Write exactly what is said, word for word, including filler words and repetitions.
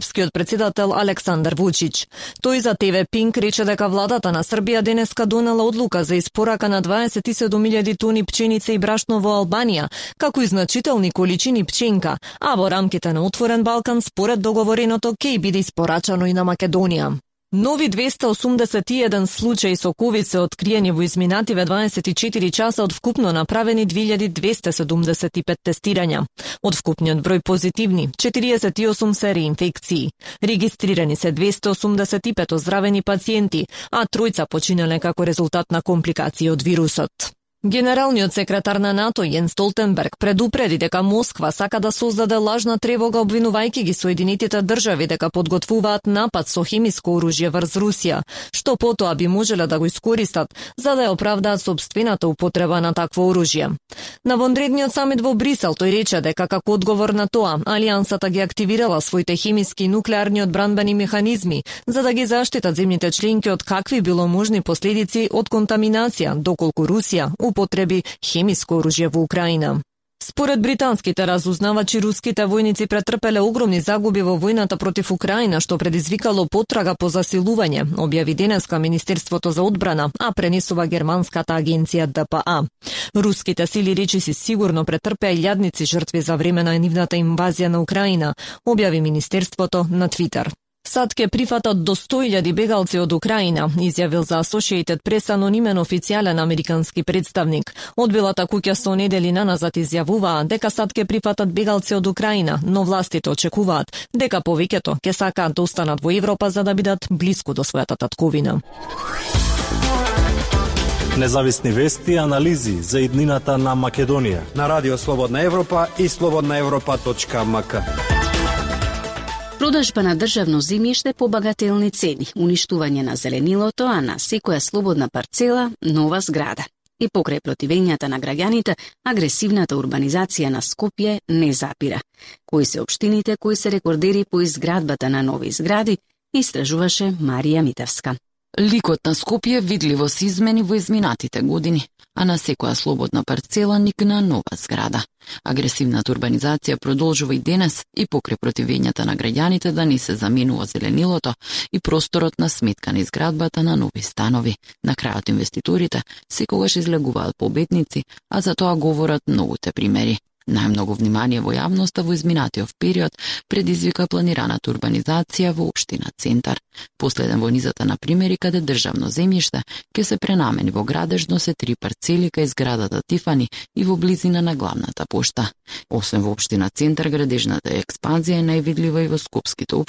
српскиот председател Александар Вучич. Тој за Те Ве Пинк рече дека владата на Србија денеска донела одлука за испорака на дваесет и седум илјади тони пченица и брашно во Албанија, како и значителни количини пченка, а во рамките на Отворен Балкан според договореното ќе биде испорачано и на Македонија. Нови двеста осумдесет и еден случаи со ковид се откриени во изминативе дваесет и четири часа од вкупно направени две илјади двеста седумдесет и пет тестирања. Од вкупниот број позитивни, четириесет и осум се реинфекции. Регистрирани се двеста осумдесет и пет оздравени пациенти, а тројца починале како резултат на компликации од вирусот. Генералниот секретар на НАТО Јен Столтенберг предупреди дека Москва сака да создаде лажна тревога обвинувајќи ги Соединетите држави дека подготвуваат напад со хемиско оружје врз Русија, што потоа би можеле да го искористат за да ја оправдаат сопствената употреба на такво оружје. На вонредниот самит во Брисел тој рече дека како одговор на тоа, Алијансата ги активирала своите хемиски и нуклеарни одбранбени механизми за да ги заштитат земјите членки од какви било можни последици од контаминација, доколку Русија употреби хемиско оружје во Украина. Според британските разузнавачи, руските војници претрпеле огромни загуби во војната против Украина, што предизвикало потрага по засилување, објави денеска Министерството за одбрана, а пренесува германската агенција Д П А. Руските сили речиси сигурно претрпеа илјадници жртви за време на нивната инвазија на Украина, објави Министерството на Твитер. САД ке прифатат до сто илјади бегалци од Украина, изјавил за Associated Press анонимен официјален американски представник. Одбилата куќа со недели наназад изјавуваа дека САД ке прифатат бегалци од Украина, но властите очекуваат дека повеќето ќе сакаат да останат во Европа за да бидат блиску до својата татковина. Независни вести и анализи за иднината на Македонија на Радио Слободна Европа и слободна европа точка ем ка. Продажба на државно земјиште по багателни цени, уништување на зеленилото, а на секоја слободна парцела нова зграда. И покрај противењата на граѓаните, агресивната урбанизација на Скопје не запира. Кои се општините кои се рекордери по изградбата на нови згради, истражуваше Марија Митевска. Ликот на Скопје видливо се измени во изминатите години, а на секоја слободна парцела никна нова зграда. Агресивната урбанизација продолжува и денес и покрај противењата на граѓаните да не се заменува зеленилото и просторот на сметка на изградбата на нови станови. На крајот инвеститорите секогаш излегуваат победници, а за тоа говорат многуте примери. Најмногу внимание во јавноста во изминатиот период предизвика планираната урбанизација во општина Центар. Последен во низата на примери каде државно земјиште ќе се пренамени во градежно се три парцели кај зградата Тифани и во близина на главната пошта. Освен во општина Центар, градежната експанзија е највидлива и во скопските општини